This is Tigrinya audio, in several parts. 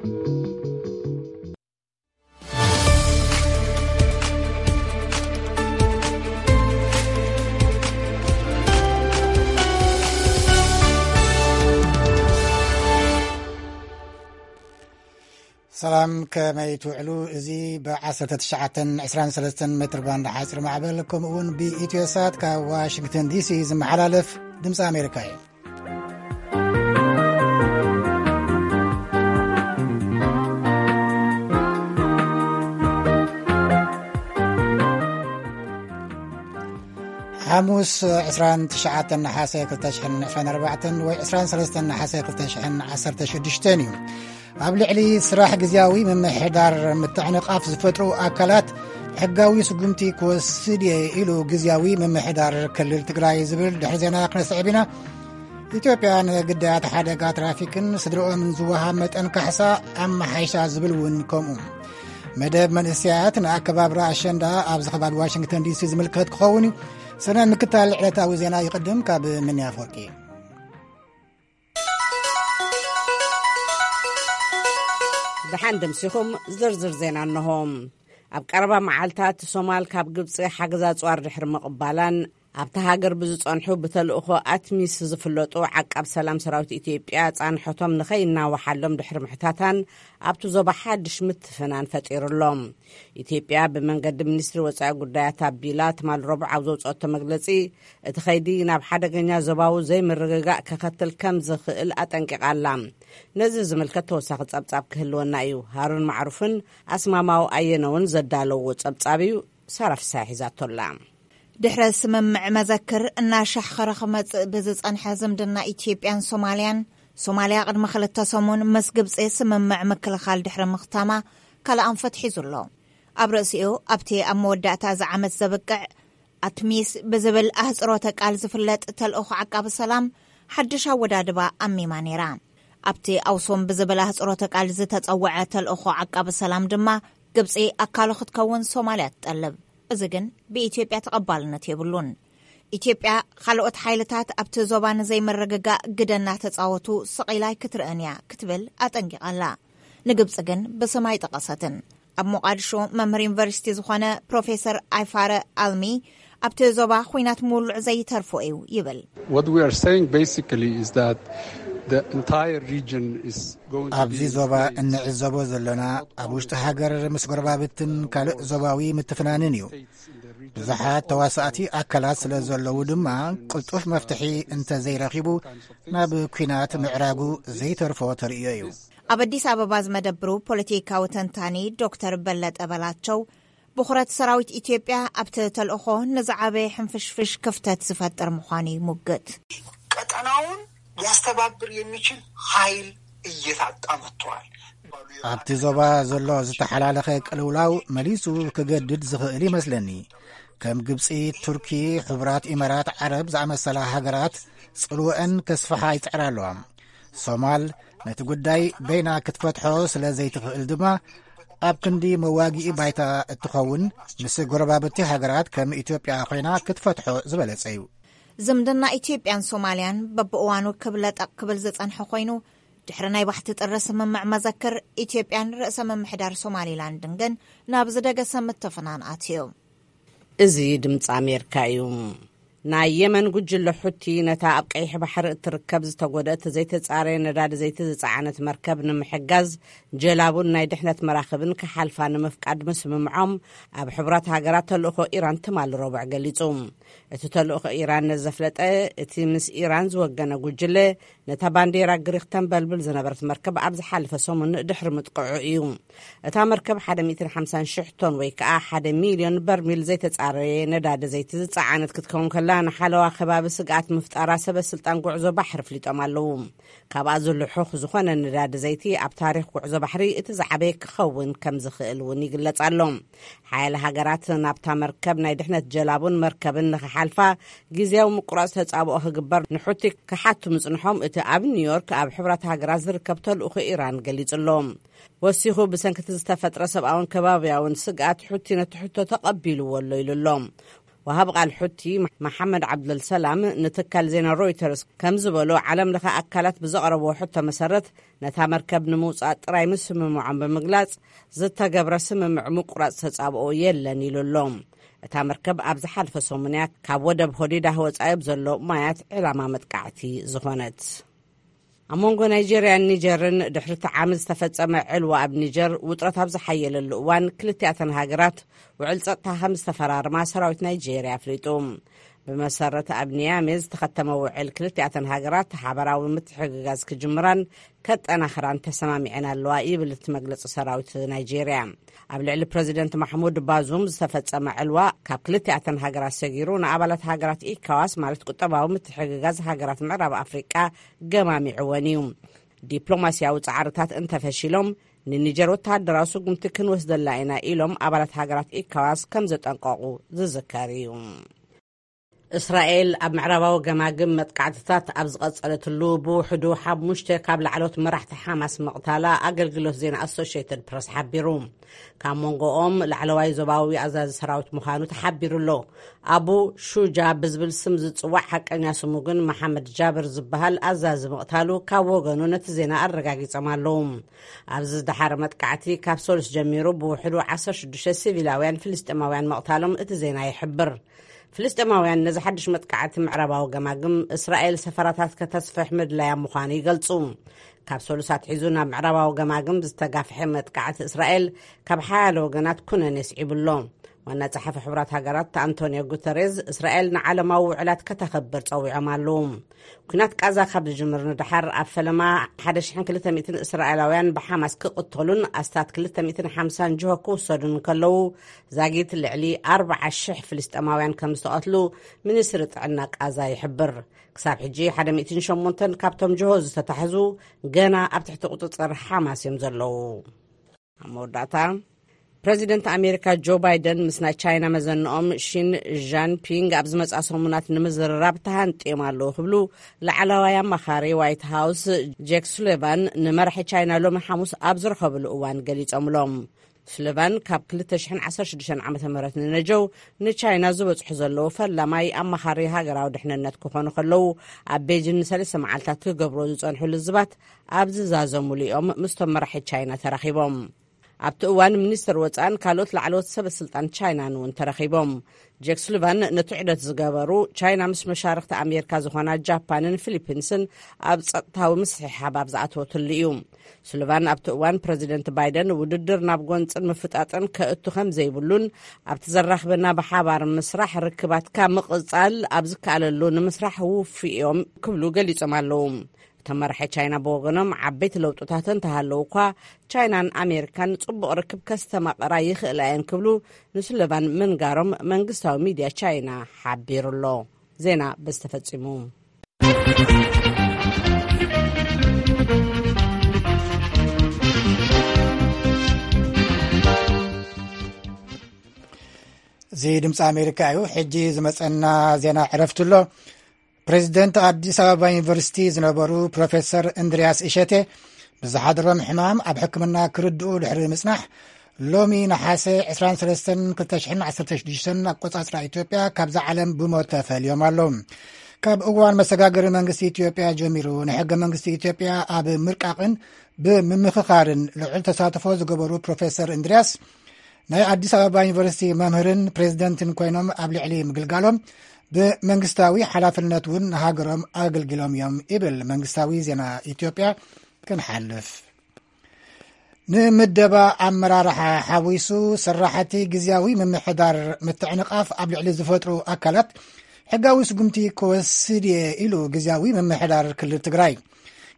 ሰላም፣ ከመይ ትውዕሉ? እዚ ብ19 23 ሜትር ባንድ ሓፂር ማዕበል፣ ከምኡ እውን ብኢትዮ ሳት ካብ ዋሽንግተን ዲሲ ዝመሓላለፍ ድምፂ ኣሜሪካ እዩ። ሓሙስ 29 ነሓሰ 2024 ወይ 23 ነሓሰ 2016 እዩ። ኣብ ልዕሊ ስራሕ ግዝያዊ ምምሕዳር ምትዕንቓፍ ዝፈጥሩ ኣካላት ሕጋዊ ስጉምቲ ክወስድ እየ ኢሉ ግዝያዊ ምምሕዳር ክልል ትግራይ ዝብል ድሕሪ ዜና ክነስዕብ ኢና። ኢትዮጵያ ንግዳያት ሓደጋ ትራፊክን ስድርኦምን ዝወሃብ መጠን ካሕሳ ኣመሓይሻ ዝብል እውን ከምኡ። መደብ መንእሰያት ንኣከባብራ ኣሸንዳ ኣብዚ ከባቢ ዋሽንግተን ዲሲ ዝምልከት ክኸውን እዩ። ሰነ ምክታል ዕለታዊ ዜና ይቕድም። ካብ ምንያ ኣፈወርቂ። ደሓን ደምሲኹም ዝርዝር ዜና እንሆ። ኣብ ቀረባ መዓልታት ሶማል ካብ ግብፂ ሓገዝ ኣፅዋር ድሕሪ ምቕባላን ኣብታ ሃገር ብዝፀንሑ ብተልእኾ ኣትሚስ ዝፍለጡ ዓቃብ ሰላም ሰራዊት ኢትዮጵያ ፃንሖቶም ንኸይናወሓሎም ድሕሪ ምሕታታን ኣብቲ ዞባ ሓድሽ ምትፍናን ፈጢሩሎም። ኢትዮጵያ ብመንገዲ ሚኒስትሪ ወፃኢ ጉዳያት ኣቢላ ትማል ረቡዕ ኣብ ዘውፅኦቶ መግለፂ እቲ ኸይዲ ናብ ሓደገኛ ዞባዊ ዘይምርግጋእ ከኸትል ከም ዝኽእል ኣጠንቂቓ ኣላ። ነዚ ዝምልከት ተወሳኺ ጸብጻብ ክህልወና እዩ። ሃሩን ማዕሩፍን ኣስማማው ኣየነውን ዘዳለዎ ጸብጻብ እዩ። ሳራ ፍሳሐ ሒዛቶላ። ድሕረ ስምምዕ መዘክር እናሻሕኸረ ክመጽእ ብዝጸንሐ ዝምድና ኢትዮጵያን ሶማልያን፣ ሶማልያ ቅድሚ ክልተ ሰሙን ምስ ግብጺ ስምምዕ ምክልኻል ድሕሪ ምኽታማ ካልእ ኣንፈት ሒዙ ኣሎ። ኣብ ርእሲኡ ኣብቲ ኣብ መወዳእታ እዚ ዓመት ዘብቅዕ ኣትሚስ ብዝብል ኣህጽሮተ ቃል ዝፍለጥ ተልእኾ ዓቃቢ ሰላም ሓድሽ ኣወዳድባ ኣሚማ ነይራ። ኣብቲ ኣውሶም ብዝብል ኣህጽሮተ ቃል ዝተጸውዐ ተልእኾ ዓቃቢ ሰላም ድማ ግብጺ ኣካሉ ክትከውን ሶማልያ ትጠልብ። እዚ ግን ብኢትዮጵያ ተቐባልነት የብሉን። ኢትዮጵያ ካልኦት ሓይልታት ኣብቲ ዞባ ንዘይምርግጋእ ግደ እናተጻወቱ ስቕ ኢላ ኣይክትርእን እያ ክትብል ኣጠንቂቓ ኣላ። ንግብጺ ግን ብስም ኣይጠቐሰትን። ኣብ ሞቓድሾ መምህር ዩኒቨርሲቲ ዝኾነ ፕሮፌሰር ኣይፋረ ኣልሚ ኣብቲ ዞባ ኹናት ምውልዑ ዘይተርፎ እዩ ይብል። What we are saying basically is that the entire region is going to ኣብዚ be ዞባ displaced. እንዕዘቦ ዘለና ኣብ ውሽጢ ሃገር ምስ ጎረባብትን ካልእ ዞባዊ ምትፍናንን እዩ። ብዙሓት ተዋሳእቲ ኣካላት ስለ ዘለዉ ድማ ቅልጡፍ መፍትሒ እንተዘይረኺቡ ናብ ኲናት ምዕራጉ ዘይተርፎ ተርእዮ እዩ። ኣብ ኣዲስ ኣበባ ዝመደብሩ ፖለቲካዊ ተንታኒ ዶክተር በለጠ በላቸው ብኹረት ሰራዊት ኢትዮጵያ ኣብቲ ተልእኾ ንዝዓበየ ሕንፍሽፍሽ ክፍተት ዝፈጥር ምዃኑ ይሙግት። ቀጠናውን ሊያስተባብር የሚችል ኃይል እየታጣ መጥቷል። ኣብቲ ዞባ ዘሎ ዝተሓላለኸ ቅልውላው መሊሱ ክገድድ ዝኽእል ይመስለኒ። ከም ግብጺ፣ ቱርኪ፣ ሕቡራት ኢማራት ዓረብ ዝኣመሰላ ሃገራት ጽልወአን ከስፍሓ ይጽዕራ ኣለዋ። ሶማል ነቲ ጉዳይ በይና ክትፈትሖ ስለ ዘይትኽእል ድማ ኣብ ክንዲ መዋግኢ ባይታ እትኸውን ምስ ጎረባብቲ ሃገራት ከም ኢትዮጵያ ኮይና ክትፈትሖ ዝበለጸ እዩ። ዝምድና ኢትዮጵያን ሶማልያን በብእዋኑ ክብለጠቕ ክብል ዝጸንሐ ኮይኑ ድሕሪ ናይ ባሕቲ ጥሪ ስምምዕ መዘክር ኢትዮጵያን ርእሰ ምምሕዳር ሶማሊላንድን ግን ናብ ዝደገሰ ምትፍናን ኣትዩ። እዚ ድምፂ ኣሜሪካ እዩ። ናይ የመን ጉጅለ ሑቲ ነታ ኣብ ቀይሕ ባሕሪ እትርከብ ዝተጎደት ዘይተጻረየ ነዳዲ ዘይቲ ዝጸዓነት መርከብ ንምሕጋዝ ጀላቡን ናይ ድሕነት መራኽብን ክሓልፋ ንምፍቃድ ምስምምዖም ኣብ ሕቡራት ሃገራት ተልእኾ ኢራን ትማሊ ረቡዕ ገሊጹ። እቲ ተልእኾ ኢራን ነዚ ዘፍለጠ እቲ ምስ ኢራን ዝወገነ ጉጅለ ነታ ባንዴራ ግሪኽ ተንበልብል ዝነበረት መርከብ ኣብ ዝሓለፈ ሰሙን ድሕሪ ምጥቅዑ እዩ። እታ መርከብ ሓደ ሚእትን ሓምሳን ሽሕ ቶን ወይ ከኣ ሓደ ሚልዮን በርሚል ዘይተጻረየ ነዳዲ ዘይቲ ዝጸዓነት ክትከውን ከላ ንሓለዋ ከባቢ ስግኣት ምፍጣራ ሰበ ስልጣን ጉዕዞ ባሕሪ ኣፍሊጦም ኣለዉ። ካብኣ ዝልሑኽ ዝኾነ ነዳዲ ዘይቲ ኣብ ታሪኽ ጉዕዞ ባሕሪ እቲ ዝዓበየ ክኸውን ከም ዝኽእል እውን ይግለጽ ኣሎ። ሓያለ ሃገራት ናብታ መርከብ ናይ ድሕነት ጀላቡን መርከብን ንኽሓልፋ ግዝያዊ ምቁራጽ ተጻብኦ ክግበር ንሑቲ ክሓቱ ምጽንሖም እቲ ኣብ ኒውዮርክ ኣብ ሕብራት ሃገራት ዝርከብ ተልእኾ ኢራን ገሊጹ ኣሎ። ወሲኹ ብሰንኪ እቲ ዝተፈጥረ ሰብኣውን ከባብያውን ስግኣት ሑቲ ነቲ ሕቶ ተቐቢልዎ ኣሎ ኢሉ ኣሎ። ወሃብ ቃል ሑቲ መሓመድ ዓብደልሰላም ንትካል ዜና ሮይተርስ ከም ዝበሎ፣ ዓለም ለኸ ኣካላት ብዘቕረብዎ ሕቶ መሰረት ነታ መርከብ ንምውጻእ ጥራይ ምስምምዖም ብምግላጽ፣ ዝተገብረ ስምምዕ ምቁራጽ ተጻብኦ የለን ኢሉ ኣሎ። እታ መርከብ ኣብ ዝሓለፈ ሰሙንያ ካብ ወደብ ሆዲዳ ወጻኢ ኣብ ዘሎ ማያት ዕላማ መጥቃዕቲ ዝኾነት። ኣብ መንጎ ናይጄርያን ኒጀርን ድሕሪ እቲ ዓመት ዝተፈጸመ ዕልዋ ኣብ ኒጀር ውጥረት ኣብ ዝሓየለሉ እዋን፣ ክልቲኣተን ሃገራት ውዕል ጸጥታ ከም ዝተፈራርማ ሰራዊት ናይጄርያ ኣፍሊጡ። ብመሰረት ኣብ ኒያሜ ዝተኸተመ ውዕል፣ ክልቲኣተን ሃገራት ሓበራዊ ምትሕግጋዝ ክጅምራን ከጠናኽራን ተሰማሚዐን ኣለዋ ይብል እቲ መግለጺ ሰራዊት ናይጄርያ። ኣብ ልዕሊ ፕረዚደንት ማሕሙድ ባዙም ዝተፈጸመ ዕልዋ ካብ ክልቲኣተን ሃገራት ሰጊሩ ንኣባላት ሃገራት ኢካዋስ፣ ማለት ቁጠባዊ ምትሕግጋዝ ሃገራት ምዕራብ ኣፍሪቃ፣ ገማሚዕወን እዩ። ዲፕሎማስያዊ ጻዕርታት እንተፈሺሎም፣ ንኒጀር ወተሃደራዊ ስጉምቲ ክንወስደላ ኢና ኢሎም ኣባላት ሃገራት ኢካዋስ ከም ዘጠንቀቑ ዝዝከር እዩ። እስራኤል ኣብ ምዕራባዊ ገማግም መጥቃዕትታት ኣብ ዝቐጸለትሉ፣ ብውሕዱ ሓሙሽተ ካብ ላዕለዎት መራሕቲ ሓማስ ምቕታላ ኣገልግሎት ዜና ኣሶሽየትድ ፕረስ ሓቢሩ። ካብ መንጎኦም ላዕለዋይ ዞባዊ ኣዛዚ ሰራዊት ምዃኑ ተሓቢሩ ኣሎ። ኣቡ ሹጃ ብዝብል ስም ዝጽዋዕ ሓቀኛ ስሙ ግን መሓመድ ጃብር ዝበሃል ኣዛዚ ምቕታሉ ካብ ወገኑ ነቲ ዜና ኣረጋጊጾም ኣለዉ። ኣብዚ ዝደሓረ መጥቃዕቲ ካብ ሰሉስ ጀሚሩ ብውሕዱ ዓሰርተ ሽዱሽተ ሲቪላውያን ፍልስጤማውያን ምቕታሎም እቲ ዜና ይሕብር። ፍልስጤማውያን ነዚ ሓድሽ መጥቃዕቲ ምዕራባዊ ገማግም እስራኤል ሰፈራታት ከተስፍሕ ምድላያ ምዃኑ ይገልጹ። ካብ ሰሉስ ኣትሒዙ ናብ ምዕራባዊ ገማግም ዝተጋፍሐ መጥቃዕቲ እስራኤል ካብ ሓያለ ወገናት ኩነኔ ስዒቡ ኣሎ። ዋና ጸሓፊ ሕቡራት ሃገራት ኣንቶኒዮ ጉተሬዝ፣ እስራኤል ንዓለማዊ ውዕላት ከተኸብር ጸዊዖም ኣለዉ። ኲናት ቃዛ ካብ ዝጅምር ንደሓር፣ ኣብ ፈለማ ሓደ ሽሕን ክልተ ሚእትን እስራኤላውያን ብሓማስ ክቕተሉን ኣስታት ክልተ ሚእትን ሓምሳን ጅሆ ክውሰዱን ከለዉ፣ ዛጊት ልዕሊ ኣርብዓ ሽሕ ፍልስጤማውያን ከም ዝተቐትሉ ሚኒስትሪ ጥዕና ቃዛ ይሕብር። ክሳብ ሕጂ ሓደ ሚእትን ሸሞንተን ካብቶም ጅሆ ዝተታሕዙ ገና ኣብ ትሕቲ ቁጽጽር ሓማስ እዮም ዘለዉ። ኣብ መወዳእታ፣ ፕረዚደንት ኣሜሪካ ጆ ባይደን ምስ ናይ ቻይና መዘንኦም ሺን ዣንፒንግ ኣብ ዝመጽኣ ሰሙናት ንምዝርራብ ተሃንጥዮም ኣለዉ ክብሉ ላዕለዋይ ኣማኻሪ ዋይት ሃውስ ጄክ ሱሊቫን ንመራሒ ቻይና ሎሚ ሓሙስ ኣብ ዝረኸብሉ እዋን ገሊጾምሎም። ሱሊቫን ካብ ክልተ ሽሕን ዓሰርተ ሽዱሽተን ዓመተ ምህረት ንነጀው ንቻይና ዝበጽሑ ዘለዉ ፈላማይ ኣማኻሪ ሃገራዊ ድሕንነት ክኾኑ ከለዉ፣ ኣብ ቤጂን ንሰለስተ መዓልታት ክገብርዎ ዝጸንሑ ልዝባት ኣብ ዝዛዘሙሉ እዮም ምስቶም መራሒ ቻይና ተራኺቦም። ኣብቲ እዋን ሚኒስትር ወጻእን ካልኦት ላዕለዎት ሰበ ስልጣን ቻይናን እውን ተረኺቦም። ጄክ ሱሊቫን ነቲ ዑደት ዝገበሩ፣ ቻይና ምስ መሻርኽቲ ኣሜሪካ ዝኾና ጃፓንን ፊሊፒንስን ኣብ ጸጥታዊ ምስሕሓብ ኣብ ዝኣተወትሉ እዩ። ሱሊቫን ኣብቲ እዋን ፕረዚደንት ባይደን ውድድር ናብ ጎንጽን ምፍጣጥን ከእቱ ከም ዘይብሉን፣ ኣብቲ ዘራኽበና ብሓባር ምስራሕ ርክባትካ ምቕጻል ኣብ ዝከኣለሉ ንምስራሕ ውፉይ እዮም ክብሉ ገሊጾም ኣለዉ። እቶም መራሒ ቻይና ብወገኖም፣ ዓበይቲ ለውጥታት እንተሃለዉ እኳ፣ ቻይናን ኣሜሪካን ጽቡቕ ርክብ ከስተማቕራ ይኽእላ እየን ክብሉ ንሱሊቫን ምንጋሮም መንግስታዊ ሚድያ ቻይና ሓቢሩ ኣሎ። ዜና በዚ ተፈጺሙ። እዚ ድምፂ ኣሜሪካ እዩ። ሕጂ ዝመፀና ዜና ዕረፍቲ ኣሎ። ፕሬዚደንት ኣዲስ ኣበባ ዩኒቨርሲቲ ዝነበሩ ፕሮፌሰር እንድርያስ እሸቴ ብዝሓደሮም ሕማም ኣብ ሕክምና ክርድኡ ድሕሪ ምጽናሕ፣ ሎሚ ነሓሰ ዕስራን ሰለስተን ክልተ ሽሕን ዓሰርተ ሽዱሽተን ኣቆጻጽራ ኢትዮጵያ ካብዛ ዓለም ብሞት ተፈልዮም ኣለዉ። ካብ እዋን መሰጋገሪ መንግስቲ ኢትዮጵያ ጀሚሩ፣ ንሕገ መንግስቲ ኢትዮጵያ ኣብ ምርቃቕን ብምምኽኻርን ልዑል ተሳትፎ ዝገበሩ ፕሮፌሰር እንድርያስ፣ ናይ ኣዲስ ኣበባ ዩኒቨርሲቲ መምህርን ፕሬዚደንትን ኮይኖም ኣብ ልዕሊ ምግልጋሎም፣ ብመንግስታዊ ሓላፍነት እውን ንሃገሮም ኣገልጊሎም እዮም ይብል መንግስታዊ ዜና ኢትዮጵያ። ክንሓልፍ፣ ንምደባ ኣመራርሓ ሓዊሱ፣ ስራሕቲ ግዝያዊ ምምሕዳር ምትዕንቓፍ ኣብ ልዕሊ ዝፈጥሩ ኣካላት ሕጋዊ ስጉምቲ ክወስድ እየ ኢሉ ግዝያዊ ምምሕዳር ክልል ትግራይ።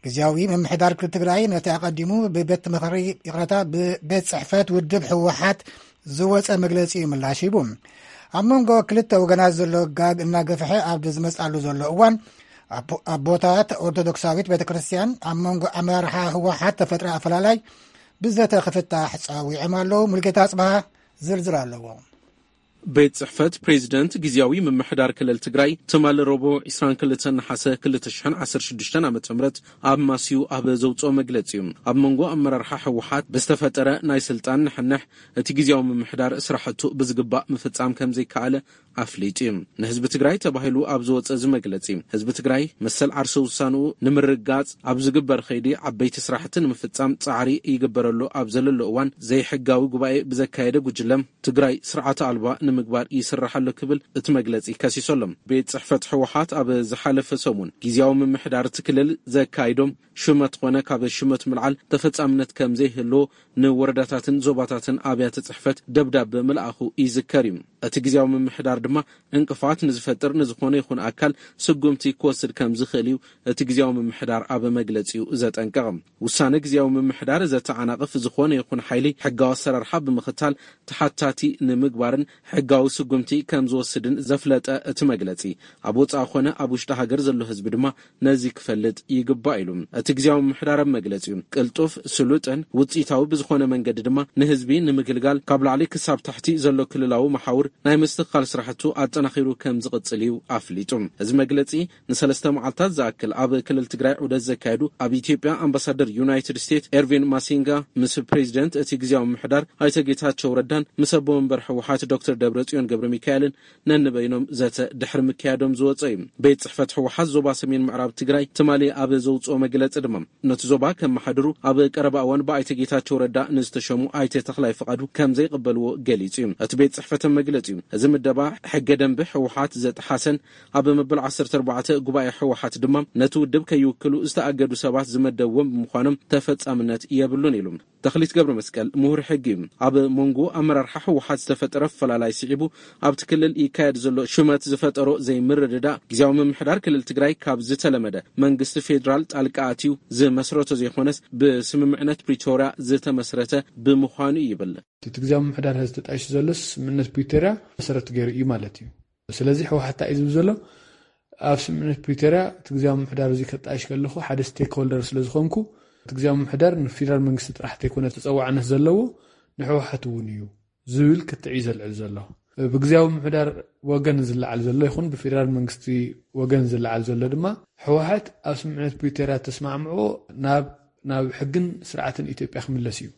ግዝያዊ ምምሕዳር ክልል ትግራይ ነቲ ኣቐዲሙ ብቤት ምኽሪ፣ ይቕረታ፣ ብቤት ጽሕፈት ውድብ ህወሓት ዝወጸ መግለጺ ምላሽ ሂቡ። ኣብ መንጎ ክልተ ወገናት ዘሎ ጋግ እናገፍሐ ኣብ ዝመጽኣሉ ዘሎ እዋን፣ ኣቦ-፣ ኣቦታት ኦርቶዶክሳዊት ቤተ ክርስቲያን ኣብ መንጎ ኣመራርሓ ህወሓት ተፈጥረ ኣፈላላይ ብዘተ ክፍታሕ ጸዊዖም ኣለዉ። ሙልጌታ ኣጽብሃ ዝርዝር ኣለዎ። ቤት ጽሕፈት ፕሬዚደንት ግዜያዊ ምምሕዳር ክልል ትግራይ ትማሊ ረቡዕ ዕስራን ክልተን ነሓሰ ክልተ ሽሕን ዓሰርተ ሽዱሽተን ዓመተ ምህረት ኣብ ማስዩ ኣብ ዘውፅኦ መግለጺ እዩ። ኣብ መንጎ ኣመራርሓ ህወሓት ብዝተፈጠረ ናይ ስልጣን ንሕንሕ እቲ ግዜያዊ ምምሕዳር ስራሕቱ ብዝግባእ ምፍጻም ከም ዘይከኣለ ኣፍሊጡ እዩ። ንህዝቢ ትግራይ ተባሂሉ ኣብ ዝወፀ እዚ መግለጺ ህዝቢ ትግራይ መሰል ዓርሰ ውሳንኡ ንምርጋጽ ኣብ ዝግበር ከይዲ ዓበይቲ ስራሕቲ ንምፍጻም ጻዕሪ ይግበረሉ ኣብ ዘለሎ እዋን ዘይሕጋዊ ጉባኤ ብዘካየደ ጉጅለ ትግራይ ስርዓተ ኣልባ ንምግባር ይስራሕ ኣሎ ክብል እቲ መግለጺ ከሲሱ ኣሎ። ቤት ጽሕፈት ህወሓት ኣብ ዝሓለፈ ሰሙን ግዜያዊ ምምሕዳር እቲ ክልል ዘካይዶም ሹመት ኾነ ካብ ሹመት ምልዓል ተፈጻምነት ከም ዘይህልዎ ንወረዳታትን ዞባታትን ኣብያተ ጽሕፈት ደብዳበ ምልኣኹ ይዝከር እዩ። እቲ ግዜያዊ ምምሕዳር ድማ ዕንቅፋት ንዝፈጥር ንዝኾነ ይኹን ኣካል ስጉምቲ ክወስድ ከም ዝኽእል እዩ እቲ ግዜያዊ ምምሕዳር ኣብ መግለጺኡ ዘጠንቀቐ። ውሳነ ግዜያዊ ምምሕዳር ዘተዓናቕፍ ዝኾነ ይኹን ሓይሊ ሕጋዊ ኣሰራርሓ ብምኽታል ተሓታቲ ንምግባርን ሕጋዊ ስጉምቲ ከም ዝወስድን ዘፍለጠ እቲ መግለጺ፣ ኣብ ወጻኢ ኾነ ኣብ ውሽጢ ሃገር ዘሎ ህዝቢ ድማ ነዚ ክፈልጥ ይግባእ ኢሉ። እቲ ግዜያዊ ምምሕዳር ኣብ መግለጺኡ፣ ቅልጡፍ፣ ስሉጥን ውጽኢታዊ ብዝኾነ መንገዲ ድማ ንህዝቢ ንምግልጋል ካብ ላዕሊ ክሳብ ታሕቲ ዘሎ ክልላዊ መሓውር ናይ ምስትኽኻል ስራሕቱ ኣጠናኺሩ ከም ዝቕጽል እዩ ኣፍሊጡ። እዚ መግለጺ ንሰለስተ መዓልታት ዝኣክል ኣብ ክልል ትግራይ ዑደት ዘካየዱ ኣብ ኢትዮጵያ ኣምባሳደር ዩናይትድ ስቴትስ ኤርቪን ማሲንጋ ምስ ፕሬዚደንት እቲ ግዜያዊ ምምሕዳር ኣይተ ጌታቸው ረዳን ምስ ኣቦ መንበር ህወሓት ዶክተር ደብረጽዮን ገብረ ሚካኤልን ነንበይኖም ዘተ ድሕሪ ምክያዶም ዝወፀ እዩ። ቤት ጽሕፈት ህወሓት ዞባ ሰሜን ምዕራብ ትግራይ ትማሊ ኣብ ዘውፅኦ መግለፂ ድማ ነቲ ዞባ ከመሓድሩ ኣብ ቀረባ እዋን ብኣይተ ጌታቸው ረዳ ንዝተሸሙ ኣይተ ተኽላይ ፍቓዱ ከም ዘይቕበልዎ ገሊጹ እዩ። እቲ ቤት ጽሕፈት መግለጺኡ፣ እዚ ምደባ ሕገ ደንቢ ህወሓት ዘጥሓሰን ኣብ መበል ዓሰርተ ኣርባዕተ ጉባኤ ህወሓት ድማ ነቲ ውድብ ከይውክሉ ዝተኣገዱ ሰባት ዝመደብዎም ብምዃኖም ተፈጻምነት የብሉን ኢሉ። ተኽሊት ገብረ መስቀል ምሁር ሕጊ እዩ። ኣብ መንጎ ኣመራርሓ ህወሓት ዝተፈጠረ ፈላላይ ስዒቡ ኣብቲ ክልል ይካየድ ዘሎ ሹመት ዝፈጠሮ ዘይምርድዳእ ግዜያዊ ምምሕዳር ክልል ትግራይ ካብ ዝተለመደ መንግስቲ ፌዴራል ጣልቃ ኣትዩ ዝመስረቶ ዘይኮነስ ብስምምዕነት ፕሪቶርያ ዝተመስረተ ብምዃኑ እዩ ይብል። እቲ ግዜያዊ ምምሕዳር ሕዚ ተጣይሹ ዘሎስ ስምምዕነት ፕሪቶርያ መሰረት ገይሩ እዩ ማለት እዩ። ስለዚ ህወሓት እንታይ እዩ ዝብል ዘሎ? ኣብ ስምምዕነት ፕሪቶርያ እቲ ግዜያዊ ምምሕዳር እዚ ከጣይሽ ከለኹ ሓደ ስቴክሆልደር ስለ ዝኾንኩ፣ እቲ ግዜያዊ ምምሕዳር ንፌዴራል መንግስቲ ጥራሕ ተይኮነ ተፀዋዕነት ዘለዎ ንህወሓት እውን እዩ ዝብል ክትዕ እዩ ዘልዕል ዘሎ። ብግዜያዊ ምምሕዳር ወገን ዝለዓል ዘሎ ይኹን ብፌዴራል መንግስቲ ወገን ዝለዓል ዘሎ ድማ ህወሓት ኣብ ስምምዕነት ፕሪቶርያ ተስማዕምዖ ናብ ናብ ሕግን ስርዓትን ኢትዮጵያ ክምለስ እዩ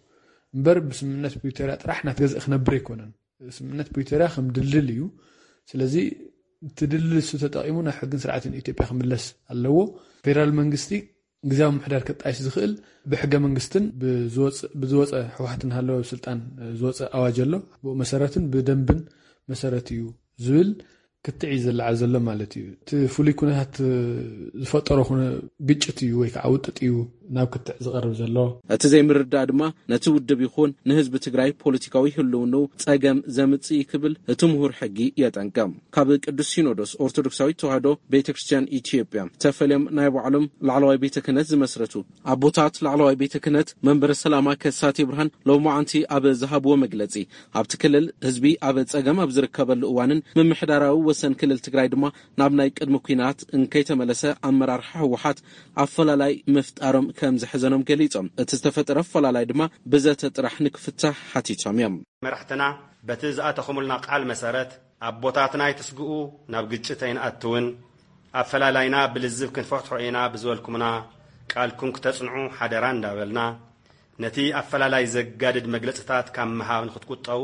እምበር ብስምምዕነት ፕሪቶርያ ጥራሕ ናትገዝእ ክነብር ኣይኮነን። ስምምዕነት ፕሪቶርያ ከም ድልድል እዩ። ስለዚ እቲ ድልድል እሱ ተጠቒሙ ናብ ሕግን ስርዓትን ኢትዮጵያ ክምለስ ኣለዎ። ፌዴራል መንግስቲ ግዜያዊ ምምሕዳር ከጣይሽ ዝኽእል ብሕገ መንግስትን ብዝወፅ- ብዝወፀ ህወሓት እናሃለወ ኣብ ስልጣን ዝወፀ ኣዋጅ ኣሎ። ብኡ መሰረትን ብደንብን መሰረት እዩ ዝብል ክትዕ እዩ ዝለዓል ዘሎ ማለት እዩ። እቲ ፍሉይ ኩነታት ዝፈጠሮ ኩነ ግጭት እዩ ወይ ከዓ ውጥጥ እዩ ናብ ክትዕ ዝቐርብ ዘሎ። እቲ ዘይምርዳእ ድማ ነቲ ውድብ ይኹን ንህዝቢ ትግራይ ፖለቲካዊ ህልውንኡ ጸገም ዘምጽእ እዩ ክብል እቲ ምሁር ሕጊ የጠንቅቕ። ካብ ቅዱስ ሲኖዶስ ኦርቶዶክሳዊት ተዋህዶ ቤተ ክርስቲያን ኢትዮጵያ ተፈልዮም ናይ ባዕሎም ላዕለዋይ ቤተ ክህነት ዝመስረቱ ኣቦታት ላዕለዋይ ቤተ ክህነት መንበረ ሰላማ ከሳቴ ብርሃን ሎማዓንቲ ኣብ ዝሃብዎ መግለጺ፣ ኣብቲ ክልል ህዝቢ ኣብ ጸገም ኣብ ዝርከበሉ እዋንን ምምሕዳራዊ ወሰን ክልል ትግራይ ድማ ናብ ናይ ቅድሚ ኲናት እንከይተመለሰ ኣመራርሓ ህወሓት ኣፈላላይ ምፍጣሮም ከም ዘሕዘኖም ገሊጾም፣ እቲ ዝተፈጠረ ኣፈላላይ ድማ ብዘተ ጥራሕ ንክፍታሕ ሓቲቶም እዮም። መራሕትና በቲ ዝኣተኹምልና ቃል መሰረት ኣቦታትና ኣይትስግኡ፣ ናብ ግጭት ኣይንኣትውን፣ ኣፈላላይና ብልዝብ ክንፈትሖ ኢና ብዝበልኩምና ቃልኩም ክተጽንዑ ሓደራ እንዳበልና፣ ነቲ ኣፈላላይ ዘጋድድ መግለጽታት ካብ ምሃብ ንክትቁጠቡ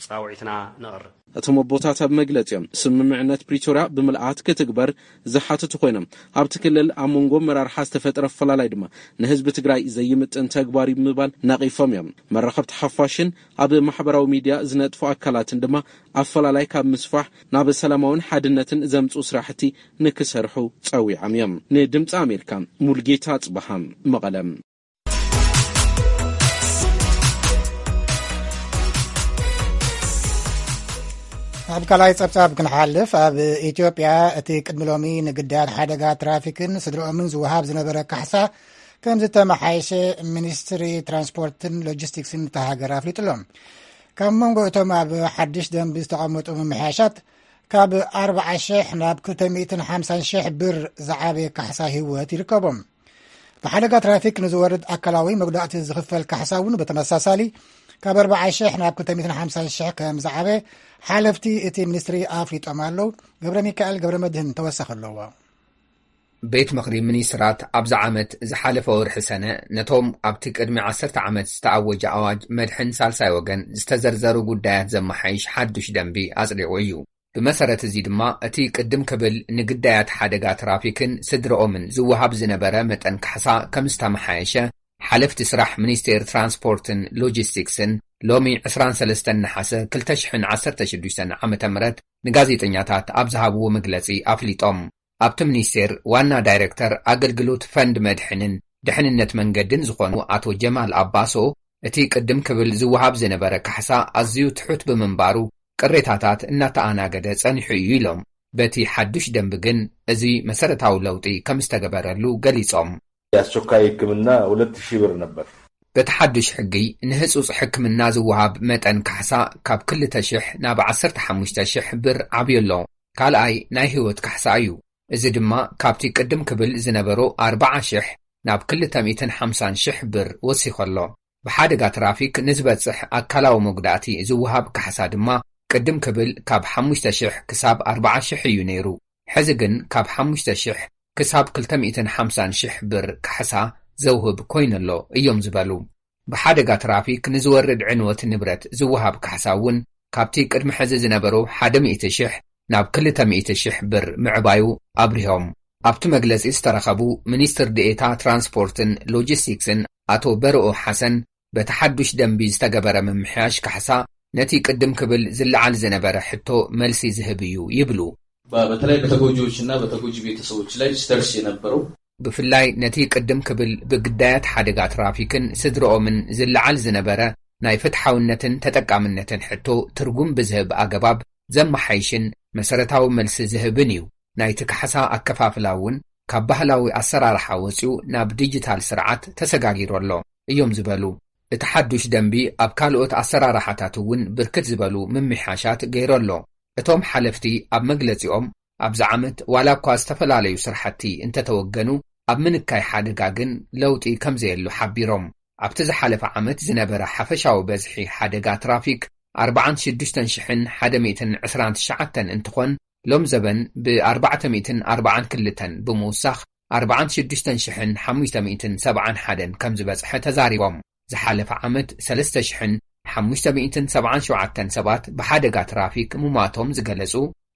ጻውዒትና ነቕርብ። እቶም ኣቦታት ኣብ መግለጺኦም፣ ስምምዕነት ፕሪቶርያ ብምልኣት ክትግበር ዝሓተቱ ኮይኖም፣ ኣብቲ ክልል ኣብ መንጎ ኣመራርሓ ዝተፈጠረ ኣፈላላይ ድማ ንህዝቢ ትግራይ ዘይምጥን ተግባር እዩ ብምባል ነቒፎም እዮም። መራኸብቲ ሓፋሽን ኣብ ማሕበራዊ ሚድያ ዝነጥፉ ኣካላትን ድማ ኣፈላላይ ካብ ምስፋሕ ናብ ሰላማውን ሓድነትን ዘምጽኡ ስራሕቲ ንክሰርሑ ጸዊዖም እዮም። ንድምፂ ኣሜሪካ ሙልጌታ ጽበሃ፣ መቐለ። ኣብ ካልኣይ ጸብጻብ ክንሓልፍ፣ ኣብ ኢትዮጵያ እቲ ቅድሚ ሎሚ ንግዳያት ሓደጋ ትራፊክን ስድርኦምን ዝወሃብ ዝነበረ ካሕሳ ከም ዝተመሓየሸ ሚኒስትሪ ትራንስፖርትን ሎጂስቲክስን እታ ሃገር ኣፍሊጡ ኣሎ። ካብ መንጎ እቶም ኣብ ሓድሽ ደንቢ ዝተቐመጡ ምምሕያሻት ካብ ኣርብዓ ሽሕ ናብ ክልተ ሚእትን ሓምሳን ሽሕ ብር ዝዓበየ ካሕሳ ህይወት ይርከቦም። ብሓደጋ ትራፊክ ንዝወርድ ኣካላዊ መጉዳእቲ ዝኽፈል ካሕሳ እውን ብተመሳሳሊ ካብ ኣርባዓ ሽሕ ናብ ክልተ ሚእትን ሓምሳን ሽሕ ከም ዝዓበ ሓለፍቲ እቲ ሚኒስትሪ ኣፍሊጦም ኣለዉ። ገብረ ሚካኤል ገብረ መድህን ተወሳኺ ኣለዎ። ቤት ምኽሪ ሚኒስትራት ኣብዚ ዓመት ዝሓለፈ ወርሒ ሰነ ነቶም ኣብቲ ቅድሚ ዓሰርተ ዓመት ዝተኣወጀ ኣዋጅ መድሕን ሳልሳይ ወገን ዝተዘርዘሩ ጉዳያት ዘመሓይሽ ሓዱሽ ደንቢ ኣጽዲቑ እዩ። ብመሰረት እዚ ድማ እቲ ቅድም ክብል ንግዳያት ሓደጋ ትራፊክን ስድረኦምን ዝወሃብ ዝነበረ መጠን ካሕሳ ከም ዝተመሓየሸ ሓለፍቲ ስራሕ ሚኒስቴር ትራንስፖርትን ሎጂስቲክስን ሎሚ ዕስራን ሰለስተን ነሓሰ ክልተ ሽሕን ዓሰርተ ሽዱሽተን ዓመተ ምህረት ንጋዜጠኛታት ኣብ ዝሃብዎ መግለጺ ኣፍሊጦም። ኣብቲ ሚኒስቴር ዋና ዳይሬክተር ኣገልግሎት ፈንድ መድሕንን ድሕንነት መንገድን ዝኾኑ ኣቶ ጀማል ኣባሶ፣ እቲ ቅድም ክብል ዝወሃብ ዝነበረ ካሕሳ ኣዝዩ ትሑት ብምንባሩ ቅሬታታት እናተኣናገደ ጸኒሑ እዩ ኢሎም። በቲ ሓዱሽ ደንቢ ግን እዚ መሰረታዊ ለውጢ ከም ዝተገበረሉ ገሊጾም። የአስቸኳይ ሕክምና ሁለት ሺህ ብር ነበር። በቲ ሓዱሽ ሕጊ ንህጹጽ ሕክምና ዝወሃብ መጠን ካሕሳ ካብ ክልተ ሽሕ ናብ ዓሰርተ ሓሙሽተ ሽሕ ብር ዓብዩ ኣሎ። ካልኣይ ናይ ህይወት ካሕሳ እዩ። እዚ ድማ ካብቲ ቅድም ክብል ዝነበሮ ኣርባዓ ሽሕ ናብ ክልተ ሚእትን ሓምሳን ሽሕ ብር ወሲኹ ኣሎ። ብሓደጋ ትራፊክ ንዝበጽሕ ኣካላዊ መጉዳእቲ ዝወሃብ ካሕሳ ድማ ቅድም ክብል ካብ ሓሙሽተ ሽሕ ክሳብ ኣርባዓ ሽሕ እዩ ነይሩ። ሕዚ ግን ካብ ሓሙሽተ ሽሕ ክሳብ ክልተ ሚእትን ሓምሳን ሽሕ ብር ካሕሳ ዘውህብ ኮይኑ'ሎ እዮም ዝበሉ። ብሓደጋ ትራፊክ ንዝወርድ ዕንወት ንብረት ዝወሃብ ካሕሳ እውን ካብቲ ቅድሚ ሕዚ ዝነበሩ ሓደ ሚእቲ ሽሕ ናብ ክልተ ሚእቲ ሽሕ ብር ምዕባዩ ኣብሪሆም። ኣብቲ መግለጺ ዝተረኸቡ ሚኒስትር ዴኤታ ትራንስፖርትን ሎጂስቲክስን ኣቶ በርኦ ሓሰን፣ በቲ ሓዱሽ ደንቢ ዝተገበረ ምምሕያሽ ካሕሳ ነቲ ቅድም ክብል ዝለዓል ዝነበረ ሕቶ መልሲ ዝህብ እዩ ይብሉ። በተለይ በተጎጂዎች እና በተጎጂ ቤተሰቦች ላይ ሲደርስ የነበረው ብፍላይ ነቲ ቅድም ክብል ብግዳያት ሓደጋ ትራፊክን ስድረኦምን ዝለዓል ዝነበረ ናይ ፍትሓውነትን ተጠቃምነትን ሕቶ ትርጉም ብዝህብ ኣገባብ ዘመሓይሽን መሰረታዊ መልሲ ዝህብን እዩ። ናይቲ ካሕሳ ኣከፋፍላ እውን ካብ ባህላዊ ኣሰራርሓ ወጺኡ ናብ ዲጂታል ስርዓት ተሰጋጊሩ ኣሎ እዮም ዝበሉ። እቲ ሓዱሽ ደንቢ ኣብ ካልኦት ኣሰራርሓታት እውን ብርክት ዝበሉ ምምሕያሻት ገይሩ ኣሎ። እቶም ሓለፍቲ ኣብ መግለጺኦም ኣብዚ ዓመት ዋላ እኳ ዝተፈላለዩ ስራሕቲ እንተተወገኑ ኣብ ምንካይ ሓደጋ ግን ለውጢ ከምዘየሉ ሓቢሮም። ኣብቲ ዝሓለፈ ዓመት ዝነበረ ሓፈሻዊ በዝሒ ሓደጋ ትራፊክ ኣርባዓን ሽዱሽተን ሽሕን ሓደ ሚእትን ዕስራን ትሽዓተን እንትኾን ሎም ዘበን ብ ኣርባዕተ ሚእትን ኣርባዓን ክልተን ብምውሳኽ ኣርባዓን ሽዱሽተን ሽሕን ሓሙሽተ ሚእትን ሰብዓን ሓደን ከም ዝበጽሐ ተዛሪቦም። ዝሓለፈ ዓመት ሰለስተ ሽሕን ሓሙሽተ ሚእትን ሰብዓን ሸውዓተን ሰባት ብሓደጋ ትራፊክ ምሟቶም ዝገለጹ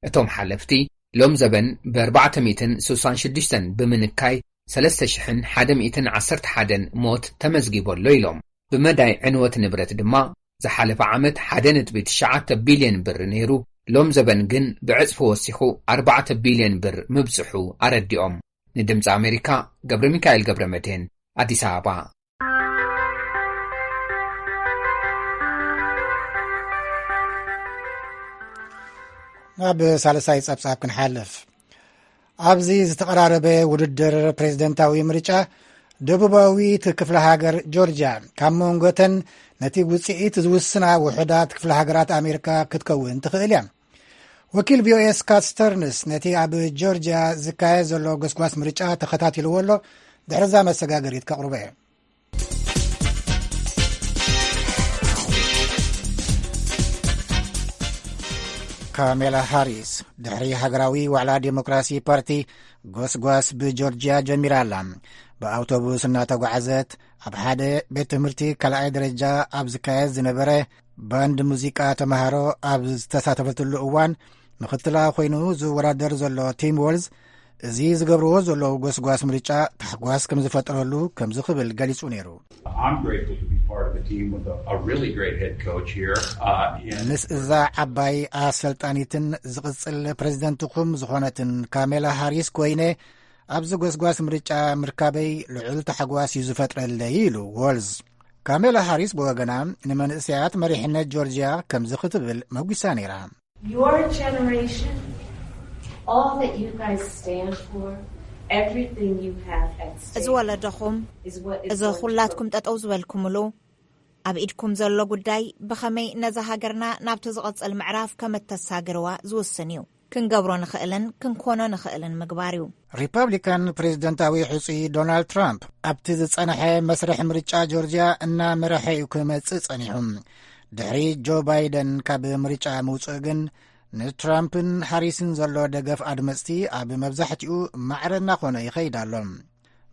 እቶም ሓለፍቲ፣ ሎም ዘበን ብ ኣርባዕተ ሚእትን ስሳን ሽዱሽተን ብምንካይ ሰለስተ ሽሕን ሓደ ሚእትን ዓሰርተ ሓደን ሞት ተመዝጊቡ ኣሎ ኢሎም። ብመዳይ ዕንወት ንብረት ድማ ዝሓለፈ ዓመት ሓደ ነጥቢ ትሽዓተ ቢልዮን ብር ነይሩ፣ ሎም ዘበን ግን ብዕጽፊ ወሲኹ ኣርባዕተ ቢልዮን ብር ምብጽሑ ኣረዲኦም። ንድምፂ ኣሜሪካ ገብረ ሚካኤል ገብረ መድህን ኣዲስ ኣበባ። ናብ ሳልሳይ ጸብጻብ ክንሓልፍ። ኣብዚ ዝተቐራረበ ውድድር ፕሬዝደንታዊ ምርጫ ደቡባዊት ክፍለ ሃገር ጆርጅያ ካብ መንጎተን ነቲ ውፅኢት ዝውስና ውሑዳት ክፍለ ሃገራት ኣሜሪካ ክትከውን ትኽእል እያ። ወኪል ቪኦኤ ስካት ስተርንስ ነቲ ኣብ ጆርጅያ ዝካየድ ዘሎ ጎስጓስ ምርጫ ተኸታቲልዎ ኣሎ። ድሕርዛ መሰጋገሪት ከቕርቦ እየ። ካሜላ ሃሪስ ድሕሪ ሃገራዊ ዋዕላ ዴሞክራሲ ፓርቲ ጎስጓስ ብጆርጅያ ጀሚራ ኣላ። ብኣውቶቡስ እናተጓዓዘት ኣብ ሓደ ቤት ትምህርቲ ካልኣይ ደረጃ ኣብ ዝካየድ ዝነበረ ባንድ ሙዚቃ ተምሃሮ ኣብ ዝተሳተፈትሉ እዋን ምኽትላ ኮይኑ ዝወዳደር ዘሎ ቲም ዎልዝ፣ እዚ ዝገብርዎ ዘለዉ ጎስጓስ ምርጫ ታሕጓስ ከም ዝፈጠረሉ ከምዚ ክብል ገሊጹ ነይሩ። I'm grateful to be part of a team with a, a really great head coach here. Uh, and ምስ እዛ ዓባይ ኣሰልጣኒትን ዝቕጽል ፕሬዚደንትኹም ዝኾነትን ካሜላ ሃሪስ ኮይነ ኣብዚ ጎስጓስ ምርጫ ምርካበይ ልዑል ታሕጓስ እዩ ዝፈጥረለይ ኢሉ ዎልዝ። ካሜላ ሃሪስ ብወገና ንመንእሰያት መሪሕነት ጆርጅያ ከምዚ ክትብል መጒሳ ነይራ። Your generation, all that you guys stand for, everything you have at stake እዚ ወለዶኹም፣ is what is እዚ going to ኩላትኩም ጠጠው ዝበልኩምሉ፣ ኣብ ኢድኩም ዘሎ ጉዳይ ብኸመይ ነዛ ሃገርና ናብቲ ዝቕጽል ምዕራፍ ከም እተሳግርዋ ዝውስን እዩ። ክንገብሮ ንኽእልን ክንኮኖ ንኽእልን ምግባር እዩ። ሪፐብሊካን ፕሬዝደንታዊ ሕጹይ ዶናልድ ትራምፕ ኣብቲ ዝጸንሐ መስርሕ ምርጫ ጆርጅያ እናመረሐ እዩ ክመጽእ ጸኒሑ። ድሕሪ ጆ ባይደን ካብ ምርጫ ምውጽኡ ግን ንትራምፕን ሃሪስን ዘሎ ደገፍ ኣድመጽቲ ኣብ መብዛሕትኡ ማዕረ እናኾነ ይኸይድ ኣሎ።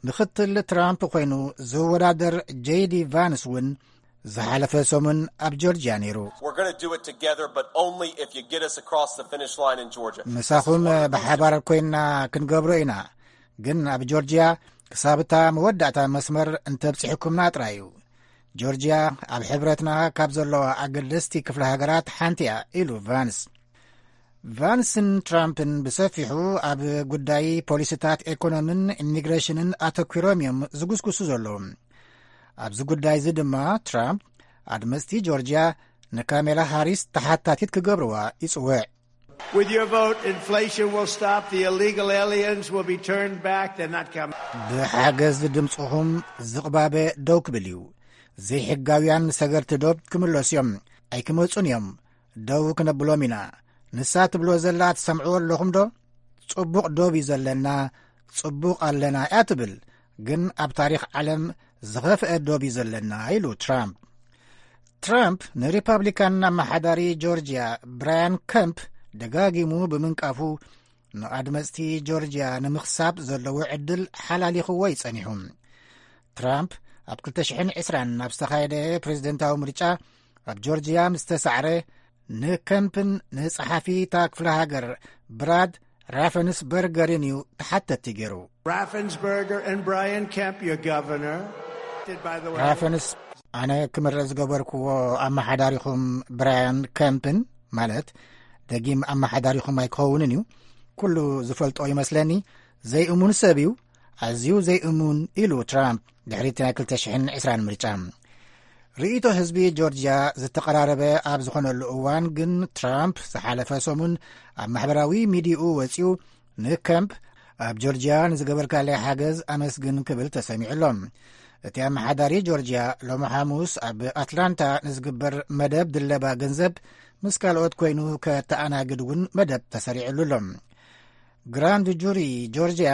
ምኽትል ትራምፕ ኮይኑ ዝወዳደር ጄዲ ቫንስ እውን ዝሓለፈ ሰሙን ኣብ ጆርጅያ ነይሩ። We're going to do it together, but only if you get us across the finish line in Georgia. ምሳኹም ብሓባር ኮይንና ክንገብሮ ኢና፣ ግን ኣብ ጆርጅያ ክሳብ እታ መወዳእታ መስመር እንተብጺሕኩምና ጥራይ እዩ። ጆርጅያ ኣብ ሕብረትና ካብ ዘለዋ ኣገደስቲ ክፍለ ሃገራት ሓንቲ እያ ኢሉ ቫንስ። ቫንስን ትራምፕን ብሰፊሑ ኣብ ጉዳይ ፖሊሲታት ኢኮኖምን ኢሚግሬሽንን ኣተኲሮም እዮም ዝጉስጉሱ ዘለዉ። ኣብዚ ጉዳይ እዚ ድማ ትራምፕ ኣድመፅቲ ጆርጅያ ንካሜላ ሃሪስ ተሓታቲት ክገብርዋ ይፅውዕ። With your vote, inflation will stop. The illegal aliens will be turned back. They're not coming. ብሓገዝ ድምፅኹም ዝቕባበ ደው ክብል እዩ። ዘይሕጋውያን ሰገርቲ ዶብ ክምለሱ እዮም። ኣይክመፁን እዮም። ደው ክነብሎም ኢና። ንሳ ትብሎ ዘላ ትሰምዕዎ ኣለኹም ዶ? ጽቡቕ ዶብ እዩ ዘለና፣ ጽቡቕ ኣለና እያ ትብል። ግን ኣብ ታሪኽ ዓለም ዝኸፍአ ዶብ እዩ ዘለና ኢሉ ትራምፕ። ትራምፕ ንሪፐብሊካን ኣመሓዳሪ ጆርጅያ ብራያን ከምፕ ደጋጊሙ ብምንቃፉ ንኣድመፅቲ ጆርጅያ ንምኽሳብ ዘለዎ ዕድል ሓላሊኽዎ እዩ ጸኒሑ። ትራምፕ ኣብ ክልተ ሽሕን ዕስራን ኣብ ዝተኻየደ ፕሬዝደንታዊ ምርጫ ኣብ ጆርጅያ ምስ ተሳዕረ ንከምፕን ንጸሓፊ እታ ክፍለ ሃገር ብራድ ራፈንስበርገርን እዩ ተሓተቲ ገይሩ። Raffensperger and Brian Kemp, your governor. By the way, ራፈንስ ኣነ ክምረጽ ዝገበርክዎ ኣመሓዳሪኹም ብራያን ከምፕን ማለት ደጊም ኣመሓዳሪኹም ኣይክኸውንን እዩ። ኩሉ ዝፈልጦ ይመስለኒ። ዘይእሙን ሰብ እዩ። ኣዝዩ ዘይእሙን ኢሉ ትራምፕ ድሕሪ እቲ ናይ ክልተ ሽሕን ዕስራን ምርጫ። ርእይቶ ህዝቢ ጆርጅያ ዝተቐራረበ ኣብ ዝኾነሉ እዋን ግን ትራምፕ ዝሓለፈ ሰሙን ኣብ ማሕበራዊ ሚዲያኡ ወጺኡ ንከምፕ ኣብ ጆርጅያ ንዝገበርካለይ ሓገዝ ኣመስግን ክብል ተሰሚዑ ኣሎ። እቲ ኣመሓዳሪ ጆርጅያ ሎሚ ሓሙስ ኣብ ኣትላንታ ንዝግበር መደብ ድለባ ገንዘብ ምስ ካልኦት ኮይኑ ከተኣናግድ እውን መደብ ተሰሪዕሉ ኣሎ። ግራንድ ጁሪ ጆርጅያ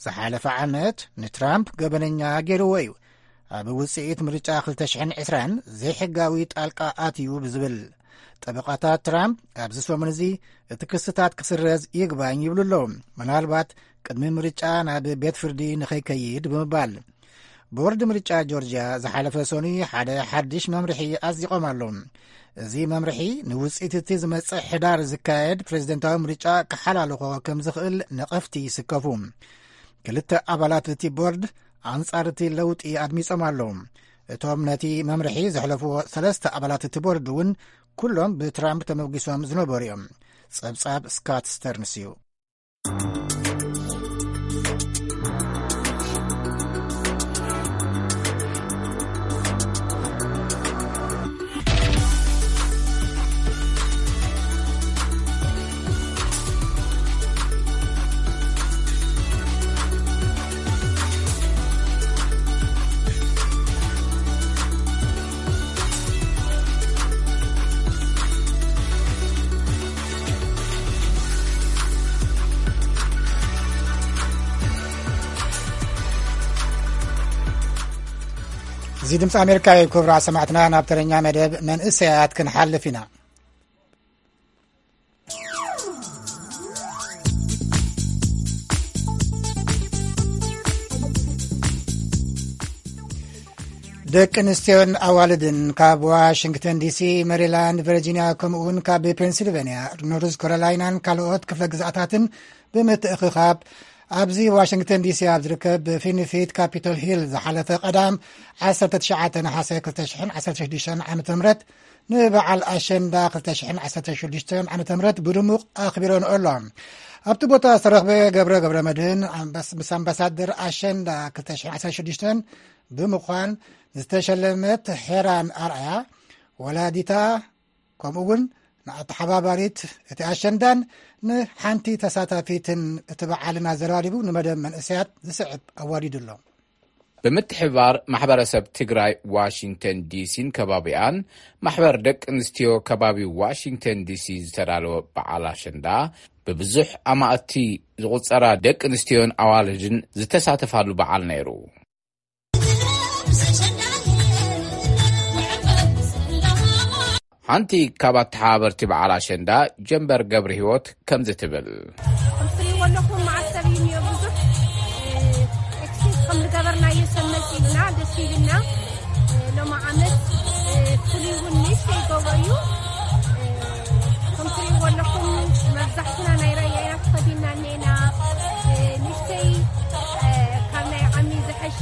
ዝሓለፈ ዓመት ንትራምፕ ገበነኛ ገይርዎ እዩ። ኣብ ውፅኢት ምርጫ ክልተ ሽሕን ዕስራን ዘይሕጋዊ ጣልቃ ኣትዩ ብዝብል። ጠበቓታት ትራምፕ ኣብዚ ሰሙን እዚ እቲ ክስታት ክስረዝ ይግባኝ ይብሉ ኣለዉ። ምናልባት ቅድሚ ምርጫ ናብ ቤት ፍርዲ ንኸይከይድ ብምባል። ቦርድ ምርጫ ጆርጅያ ዝሓለፈ ሰኑይ ሓደ ሓድሽ መምርሒ ኣጽዲቖም ኣሎ። እዚ መምርሒ ንውጽኢት እቲ ዝመጽእ ሕዳር ዝካየድ ፕሬዝደንታዊ ምርጫ ክሓላልኾ ከም ዝኽእል ነቐፍቲ ይስከፉ። ክልተ ኣባላት እቲ ቦርድ ኣንጻር እቲ ለውጢ ኣድሚጾም ኣለዉ። እቶም ነቲ መምርሒ ዘሕለፍዎ ሰለስተ ኣባላት እቲ ቦርድ እውን ኩሎም ብትራምፕ ተመጒሶም ዝነበሩ እዮም። ጸብጻብ ስካት ስተርንስ እዩ። እዚ ድምፂ ኣሜሪካ እዩ። ክቡራት ሰማዕትና፣ ናብ ተረኛ መደብ መንእሰያት ክንሓልፍ ኢና። ደቂ ኣንስትዮን ኣዋልድን ካብ ዋሽንግተን ዲሲ፣ ሜሪላንድ፣ ቨርጂኒያ፣ ከምኡ እውን ካብ ፔንሲልቬንያ፣ ኖርዝ ካሮላይናን ካልኦት ክፍለ ግዝኣታትን ብምትእኽኻብ ኣብዚ ዋሽንግተን ዲሲ ኣብ ዝርከብ ፊንፊት ካፒቶል ሂል ዝሓለፈ ቀዳም ዓሰርተ ትሽዓተ ነሓሰ ክልተ ሽሕን ዓሰርተ ሽዱሽተን ዓመተ ምህረት ንበዓል ኣሸንዳ ክልተ ሽሕን ዓሰርተ ሽዱሽተን ዓመተ ምህረት ብድሙቕ ኣኽቢረንኦ ኣሎ። ኣብቲ ቦታ ዝተረኽበ ገብረ ገብረ መድህን ኣምባስ-፣ ምስ ኣምባሳደር ኣሸንዳ ክልተ ሽሕን ዓሰርተ ሽዱሽተን ብምዃን ዝተሸለመት ሄራን ኣርኣያ ወላዲታ ከምኡ እውን ንኣተሓባባሪት እቲ ኣሸንዳን ንሓንቲ ተሳታፊትን እቲ በዓልና ዘራሪቡ ንመደብ መንእሰያት ዝስዕብ ኣዋዲዱ ኣሎ። ብምትሕብባር ማሕበረሰብ ትግራይ ዋሽንግተን ዲሲን ከባቢኣን ማሕበር ደቂ ኣንስትዮ ከባቢ ዋሽንግተን ዲሲ ዝተዳለወ በዓል ኣሸንዳ ብብዙሕ ኣማእቲ ዝቑጸራ ደቂ ኣንስትዮን ኣዋልድን ዝተሳተፋሉ በዓል ነይሩ። ሓንቲ ካብ ኣተሓባበርቲ በዓል ኣሸንዳ ጀንበር ገብረ ህይወት ከምዚ ትብል። ከምትሪእዎ ኣለኹም፣ መዓት ሰብ እዩ እኒኦ፣ ብዙሕ ኤክስፔክት ከም ዝገበርናዮ ሰብ መፂኡልና፣ ደስ ኢልና። ሎሚ ዓመት ፍሉይ እውን ንእሽተይ ይገብሮ እዩ። ከምትሪእዎ ኣለኹም፣ መብዛሕትና ናይ ራያ ኢና ተኸዲንና እኒኤና። ንእሽተይ ካብ ናይ ዓሚ ዝሐሸ፣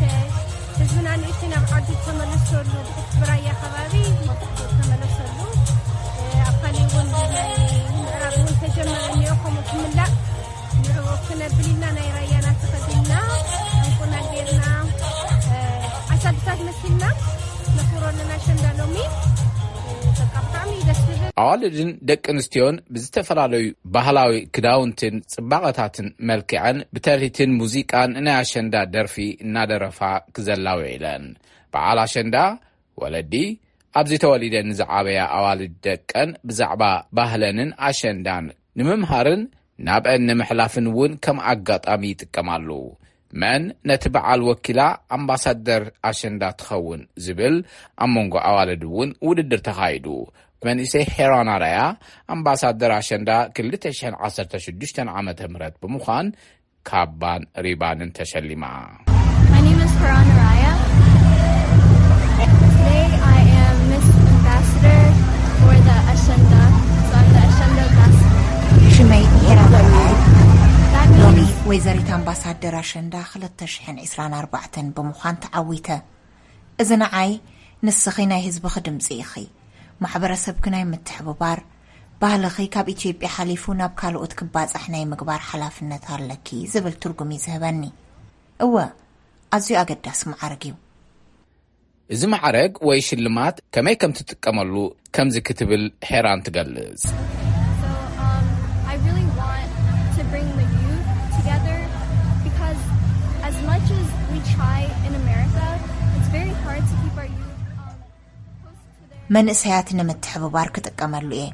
ህዝብና ንእሽተይ ናብ ዓዱ ተመለሰሉ። ብራያ ከባቢ መብዛሕትኡ ተመለሰሉ። ኣብ ካሊእ እውን ናይ ምዕራብ እውን ተጀመረ እኒኦ፣ ከምኡ ክምላእ ንዕኡ ክነብል ኢልና ናይ ራያና ተኸዲንና፣ ዕንቁና ጌርና፣ ዓሳድታት መሲልና ነኽብሮ ኣለና ኣሸንዳ ሎሚ። በቃ ብጣዕሚ እዩ ደስ ዝብል። ኣዋልድን ደቂ ኣንስትዮን ብዝተፈላለዩ ባህላዊ ክዳውንትን ጽባቐታትን መልኪዐን ብተሪትን ሙዚቃን ናይ ኣሸንዳ ደርፊ እናደረፋ ክዘላ ውዒለን። በዓል ኣሸንዳ ወለዲ ኣብዚ ተወሊደን ዝዓበያ ኣዋልድ ደቀን ብዛዕባ ባህለንን ኣሸንዳን ንምምሃርን ናብአን ንምሕላፍን እውን ከም ኣጋጣሚ ይጥቀማሉ። መን ነቲ በዓል ወኪላ ኣምባሳደር ኣሸንዳ ትኸውን ዝብል ኣብ መንጎ ኣዋልድ እውን ውድድር ተኻይዱ። መንእሰይ ሄራን ኣራያ ኣምባሳደር ኣሸንዳ ክልተ ሽሕን ዓሰርተ ሽዱሽተን ዓመተ ምህረት ብምዃን ካባን ሪባንን ተሸሊማ። My name is Karan Araya. Today I am Miss Ambassador for the Ashenda. So I'm the Ashenda ambassador. ሽመይ ሄራን ኣርኣያ። That ሎሚ means ወይዘሪት ኣምባሳደር ኣሸንዳ ክልተ ሽሕን ዕስራን ኣርባዕተን ብምዃን ተዓዊተ። እዚ ንዓይ፣ ንስኺ ናይ ህዝብኺ ድምፂ ኢኺ። ማሕበረሰብኪ ናይ ምትሕብባር፣ ባህልኺ ካብ ኢትዮጵያ ሓሊፉ ናብ ካልኦት ክባፃሕ ናይ ምግባር ሓላፍነት ኣለኪ ዝብል ትርጉም እዩ ዝህበኒ። እወ፣ ኣዝዩ ኣገዳሲ ማዕረግ እዩ። እዚ ማዕረግ ወይ ሽልማት ከመይ ከም ትጥቀመሉ ከምዚ ክትብል ሄራን ትገልጽ። So um, I really want to bring the youth together because as much as we try in America, it's very hard to keep our youth um, close to their መንእሰያት ንምትሕብባር ክጥቀመሉ እየ።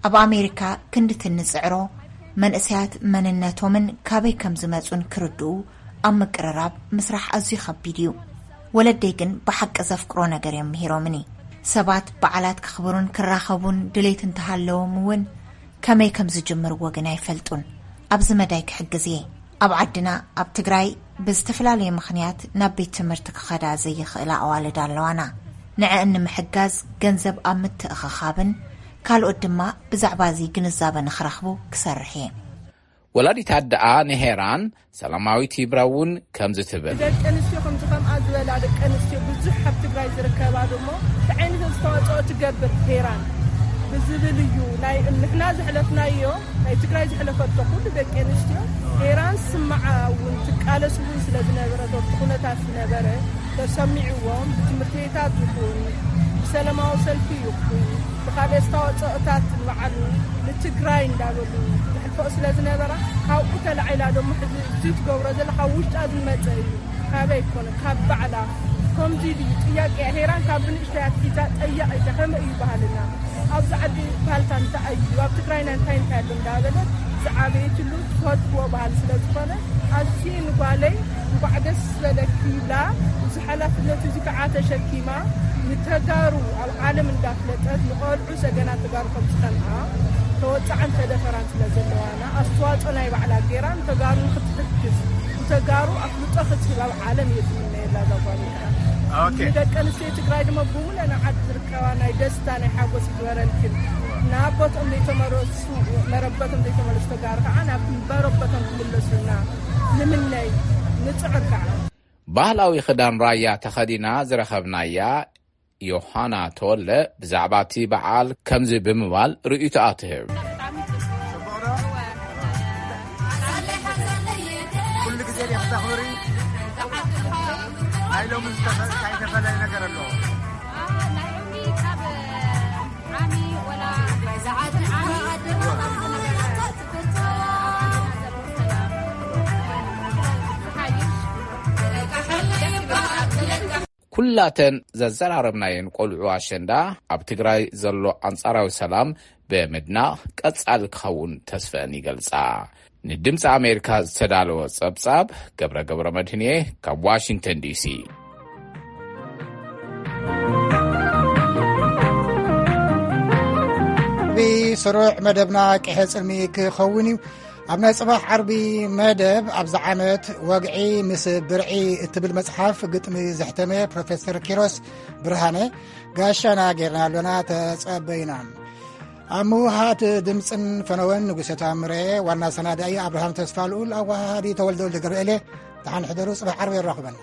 ኣብ ኣሜሪካ ክንድቲ እንጽዕሮ፣ መንእሰያት መንነቶምን ካበይ ከም ዝመጹን ክርድኡ ኣብ ምቅርራብ ምስራሕ ኣዝዩ ከቢድ እዩ። ወለደይ ግን ብሓቂ ዘፍቅሮ ነገር እዮም ምሂሮምኒ። ሰባት በዓላት ከኽብሩን ክራኸቡን ድሌት እንተሃለዎም እውን ከመይ ከም ዝጅምርዎ ግን ኣይፈልጡን። ኣብዚ መዳይ ክሕግዝ እየ። ኣብ ዓድና፣ ኣብ ትግራይ ብዝተፈላለየ ምኽንያት ናብ ቤት ትምህርቲ ክኸዳ ዘይኽእላ ኣዋልድ ኣለዋና። ንዐን ንምሕጋዝ ገንዘብ ኣብ ምትእኽኻብን ካልኦት ድማ ብዛዕባ እዚ ግንዛበ ንኽረኽቡ ክሰርሕ እየ። ወላዲት ኣደኣ ንሄራን ሰላማዊት ይብራ እውን ከምዚ ትብል። ደቂ ኣንስትዮ ከምዚ ከምኣ ዝበላ ደቂ ኣንስትዮ ብዙሕ ኣብ ትግራይ ዝርከባ ደሞ እንታይ ዓይነት ኣስተዋፅኦ ትገብር ሄራን ብዝብል እዩ። ናይ ንሕና ዘሕለፍናዮ ናይ ትግራይ ዘሕለፈቶ ኩሉ ደቂ ኣንስትዮ ሄራን ስማዓ እውን ትቃለስ እውን ስለ ዝነበረት ኣብቲ ኩነታት ዝነበረ ተሰሚዕዎም ብትምህርቲ ቤታት ይኹን ብሰላማዊ ሰልፊ ይኹን ብካልእ ኣስተዋፅኦታት ንባዕሉ ንትግራይ እንዳበሉ ዘሕልፈኦ ስለ ዝነበራ ካብኡ ተላዒላ ደሞ ሕዚ እዚ ትገብሮ ዘላ ካብ ውሽጣ ዝመፀ እዩ። ካበይ ኣይኮነ ካብ ባዕላ። ከምዚ ድዩ ጥያቄ ሄራን ካብ ብንእሽተይ ኣትሒዛ ጠያቂተ ከመይ እዩ ባህልና ኣብዚ ዓዲ ባህልታ እንታይ እዩ ኣብ ትግራይና እንታይ እንታይ ኣሎ እንዳበለት ዝዓበየትሉ ትፈትዎ ባህል ስለ ዝኾነ ኣዝየ ንጓለይ እንኳዕ ደስ በለኪ ይብላ። እዚ ሓላፍነት እዚ ከዓ ተሸኪማ ንተጋሩ ኣብ ዓለም እንዳፍለጠት ንቆልዑ ሰገናት ተጋሩ ከም ዝኸንኣ ተወፅዓን ተደፈራን ስለ ዘለዋና ኣስተዋፅኦ ናይ ባዕላ ገይራ ንተጋሩ ንክትሕግዝ ንተጋሩ ኣፍልጦ ክትህብ ኣብ ዓለም እየ ዝምነየላ እዛ ጓል። ንደቂ ኣንስትዮ ትግራይ ድማ ብሙሉእ ናይ ዓዲ ዝርከባ ናይ ደስታ ናይ ሓጎስ ይግበረልክን። ንኣቦትኦም ዘይተመለሱ መረበቶም ዘይተመለሱ ተጋሩ ከዓ ናብ መረበቶም ክምለሱልና ንምነይ ንፅዕር ከዓ። ባህላዊ ክዳን ራያ ተኸዲና ዝረኸብናያ ዮሃና ተወለ ብዛዕባ እቲ በዓል ከምዚ ብምባል ርእይቶኣ ትህብ። ኩሉ ግዜ ዲኻ ተኽብሪ? ናይ ሎሚ ዝተፈ- እንታይ ዝተፈለየ ነገር ኣለዎ? ኩላተን ዘዘራረብናየን ቆልዑ ኣሸንዳ ኣብ ትግራይ ዘሎ ኣንጻራዊ ሰላም ብምድናቕ ቀጻሊ ክኸውን ተስፈአን ይገልጻ። ንድምፂ ኣሜሪካ ዝተዳለወ ጸብጻብ ገብረ ገብረ መድህንየ ካብ ዋሽንግተን ዲሲ። ብስሩዕ መደብና ቅሐ ጽልሚ ክኸውን እዩ። ኣብ ናይ ጽባሕ ዓርቢ መደብ ኣብዚ ዓመት ወግዒ ምስ ብርዒ እትብል መጽሓፍ ግጥሚ ዘሕተመ ፕሮፌሰር ኪሮስ ብርሃነ ጋሻና ጌርና ኣሎና። ተጸበዩና። ኣብ ምውሃት ድምፅን ፈነወን ንጉሰ ታምረ፣ ዋና ሰናዳኢ ኣብርሃም ተስፋ ልኡል፣ ኣወሃሃዲ ተወልደ ወልደ ገብርኤል። ተሓንሕደሩ፣ ጽባሕ ዓርቢ የራኽበና።